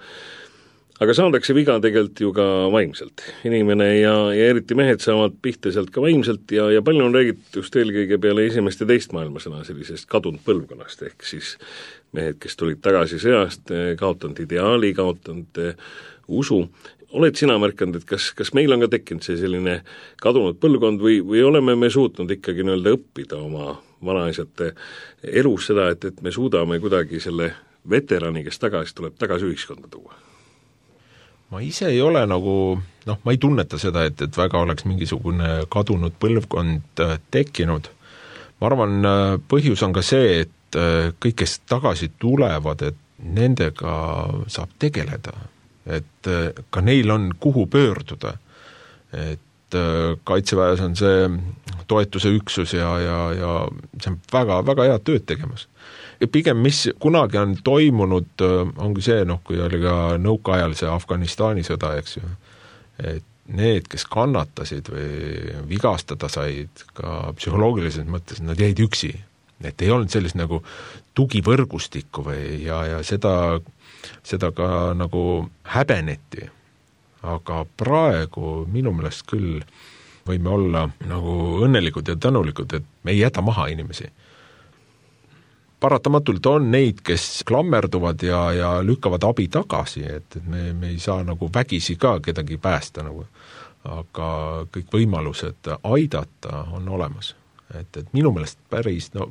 aga saadakse viga tegelikult ju ka vaimselt. Inimene ja, ja eriti mehed saavad pihta sealt ka vaimselt ja, ja palju on räägitud just eelkõige peale esimest ja teist maailmasõna sellisest kadunud põlvkonnast, ehk siis mehed, kes tulid tagasi sõjast, kaotanud ideaali, kaotanud usu. oled sina märkanud, et kas, kas meil on ka tekkinud see selline kadunud põlvkond või, või oleme me suutnud ikkagi nii-öelda õppida oma vanaisate elus seda, et, et me suudame kuidagi selle veterani, kes tagasi tuleb, tagasi ühiskonda tuua? ma ise ei ole nagu, noh, ma ei tunneta seda, et, et väga oleks mingisugune kadunud põlvkond tekkinud. Ma arvan, põhjus on ka see, et kõik, kes tagasi tulevad, et nendega saab tegeleda. Et ka neil on kuhu pöörduda. Et Kaitseväes on see toetuse üksus ja, ja, ja see on väga, väga head tööd tegemas. Ja pigem, mis kunagi on toimunud, ongi see, noh, kui oli ka nõukaajal see Afganistani sõda, eks ju, et need, kes kannatasid või vigastada said ka psühholoogilises mõttes, nad jäid üksi. Et ei olnud sellist nagu tugivõrgustikku või ja, ja seda, seda ka nagu häbeneti. Aga praegu minu meelest küll võime olla nagu õnnelikud ja tänulikud, et me ei jäta maha inimesi. Paratamatult on neid, kes klammerduvad ja, ja lükkavad abi tagasi, et, et me, me ei saa nagu vägisi ka kedagi päästa nagu. Aga kõik võimalused aidata on olemas. Et, et minu meelest päris, no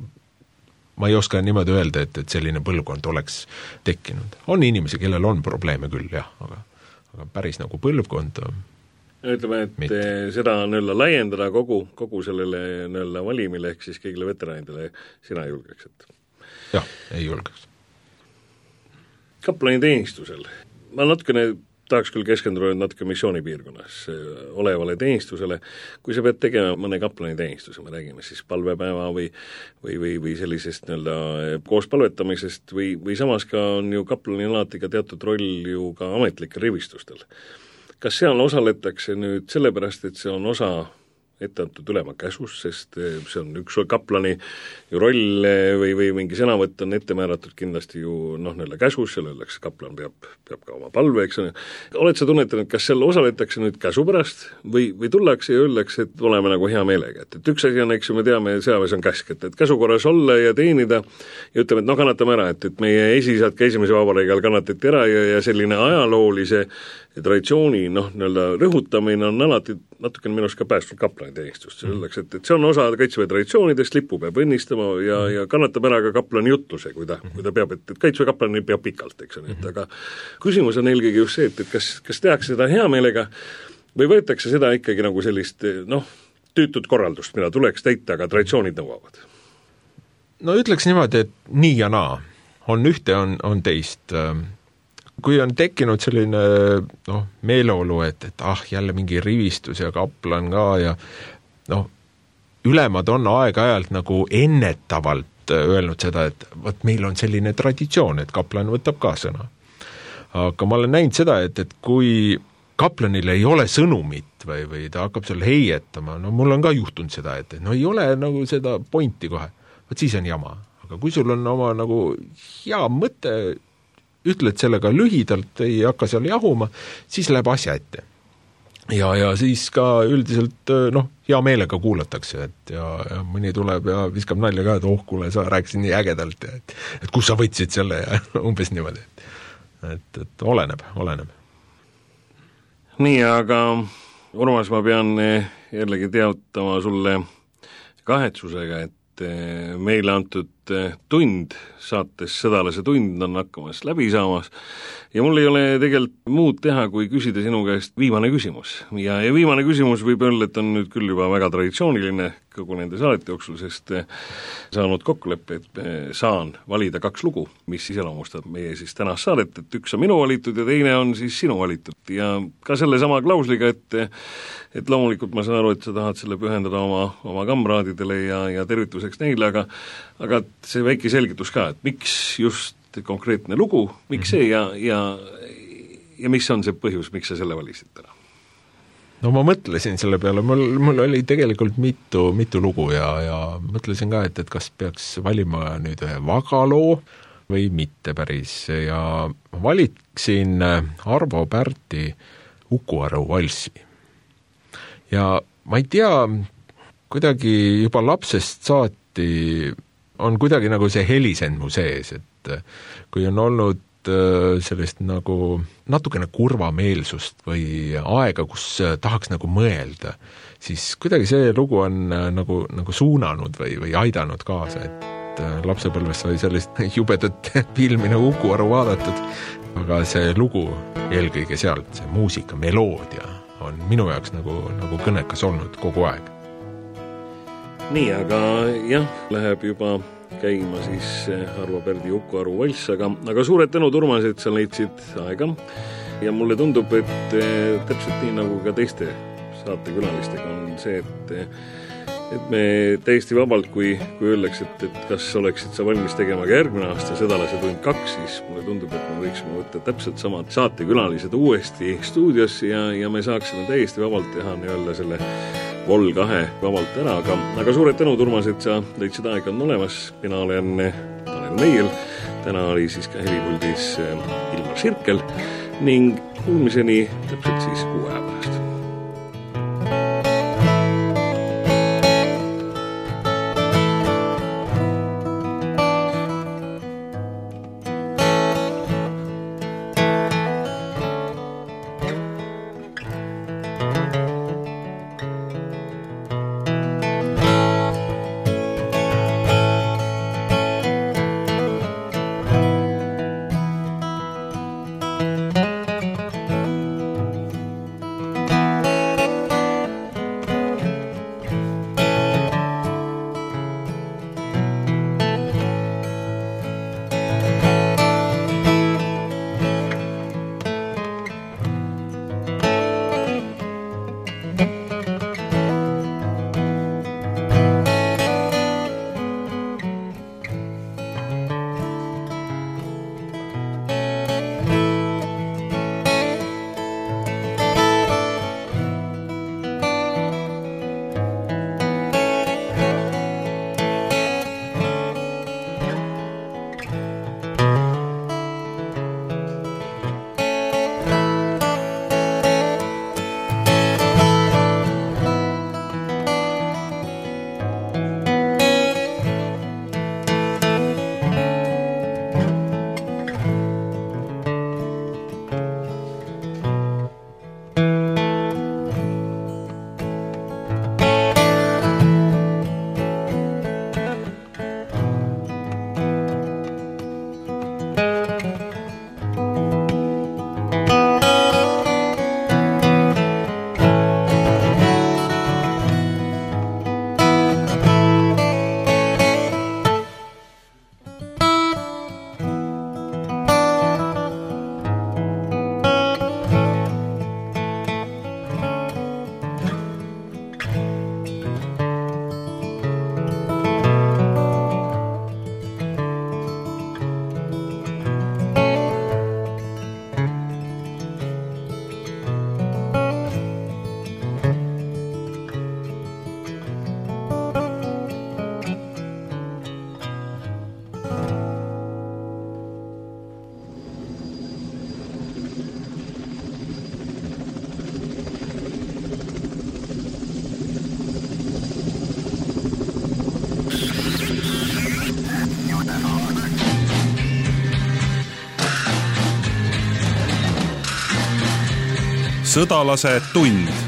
ma ei oska niimoodi öelda, et, et selline põlvkond oleks tekkinud. On inimesi, kellel on probleeme küll, jah, aga, aga päris nagu põlvkond ütleme, et mitte. Seda nõlla laiendada kogu, kogu sellele nõlla valimile, ehk siis kõigile veteranidele sina julgeks, et jah, ei julgeks. Kaplani teenistusel. Ma natukene tahaks küll keskenduda natuke missioonipiirkonnas olevale teenistusele. Kui sa pead tegema mõne kaplani teenistuse, me räägime siis palvepäeva või, või, või, või sellisest nii-öelda koos palvetamisest või, või samas ka on ju kaplani alati ka teatud roll ju ka ametlikel rivistustel. Kas seal osaletakse nüüd sellepärast, et see on osa ette antud ülema käsus, sest see on üks kaplani ju roll või, või mingi sõnavõtt on ette määratud kindlasti ju noh, neile käsus, seal öeldakse, kaplan peab, peab ka oma palve, eks on. Oled sa tunnetanud, kas seal osaletakse nüüd käsu pärast või, või tullakse ja öeldakse, et oleme nagu hea meelega, et, et üks asi on, eks ju, me teame, sõjaväes on käsk, et, et käsukorras olla ja teenida ja ütleme, et noh, kannatame ära, et, et meie esisad ka esimese vabariigi all kannatati ära ja, ja selline ajaloolise traditsiooni noh, nii-öelda rõhutamine on alati natukene minust ka päästnud kaplani teenistust. Selleks, et, et see on osa Kaitseväe traditsioonidest, lipu peab õnnistama ja, ja kannatab ära ka kaplani jutluse, kui ta, kui ta peab, et, et Kaitseväe kaplani peab pikalt, eks on, et aga küsimus on eelkõige just see, et, et kas, kas tehakse seda hea meelega või võetakse seda ikkagi nagu sellist noh, tüütut korraldust, mida tuleks täita, aga traditsioonid nõuavad? No ütleks niimoodi, et nii ja naa. On ühte, on, on teist. Kui on tekkinud selline noh, meeleolu, et, et ah, jälle mingi rivistus ja kaplan ka ja noh, ülemad on aeg-ajalt nagu ennetavalt öelnud seda, et võt meil on selline traditsioon, et kaplan võtab ka sõna. Aga ma olen näinud seda, et, et kui kaplanil ei ole sõnumit või, või ta hakkab seal heietama, no mul on ka juhtunud seda, et no ei ole nagu seda pointi kohe, võt siis on jama. Aga kui sul on oma nagu hea mõte, ütled sellega lühidalt, ei hakka seal jahuma, siis läheb asja ette. Ja, ja siis ka üldiselt noh, hea meelega kuulatakse, et ja, ja mõni tuleb ja viskab nalja ka, et oh, kuule, sa rääkisid nii ägedalt, ja, et, et kus sa võtsid selle ja umbes niimoodi. Et, et oleneb, oleneb. Nii, aga Urmas, ma pean jällegi teatama sulle kahetsusega, et meile antud tund saates Sõdalase tund on hakkamas läbi saamas ja mul ei ole tegelikult muud teha, kui küsida sinu käest viimane küsimus. Ja, ja viimane küsimus võib öelda, et on nüüd küll juba väga traditsiooniline kogu nende saadete jooksul, sest saanud kokkuleppe, et saan valida kaks lugu, mis iseloomustab meie siis tänast saadet, et üks on minu valitud ja teine on siis sinu valitud. Ja ka selle sama klausliga, et, et loomulikult ma saan aru, et sa tahad selle pühendada oma, oma kamraadidele ja, ja tervituseks neile, aga, aga see väike selgitus ka, et miks just konkreetne lugu, miks see ja, ja, ja mis on see põhjus, miks sa selle valisid täna? No ma mõtlesin selle peale, mul, mul oli tegelikult mitu, mitu lugu ja, ja mõtlesin ka, et, et kas peaks valima nüüd ühe vagaloo või mitte päris ja valiksin Arvo Pärti Uku-Aru valssi. Ja ma ei tea, kuidagi juba lapsest saati on kuidagi nagu see helisend mu sees, et kui on olnud sellist nagu natukene kurvameelsust või aega, kus tahaks nagu mõelda, siis kuidagi see lugu on nagu, nagu suunanud või, või aidanud kaasa, et lapsepõlves sai sellist jubedat filmi nagu Uku Aru vaadatud, aga see lugu eelkõige sealt, see muusika, meloodia on minu jaoks nagu, nagu kõnekas olnud kogu aeg. Nii, aga jah, läheb juba käima siis Arvo Pärdi Uku Aru valss, aga, aga suured tänu, Urmas, et sa leidsid aega ja mulle tundub, et täpselt nii nagu ka teiste saatekülalistega on see, et, et me täiesti vabalt, kui, kui öeldakse, et, et kas oleksid sa valmis tegema ka järgmine aasta Sõdalase tund kaks, siis mulle tundub, et me võiksime võtta täpselt samad saatekülalised uuesti stuudiosse ja, ja me saaksime täiesti vabalt teha nii-öelda selle Vol kahe vabalt ära, aga, aga suured tänud, Urmas, et sa leidsid aega on olemas. Mina olen Tanel Meiel, täna oli siis ka helipuldis Ilmar Sirkel ning kuulmiseni täpselt siis kuu aja pärast. Sõdalase tund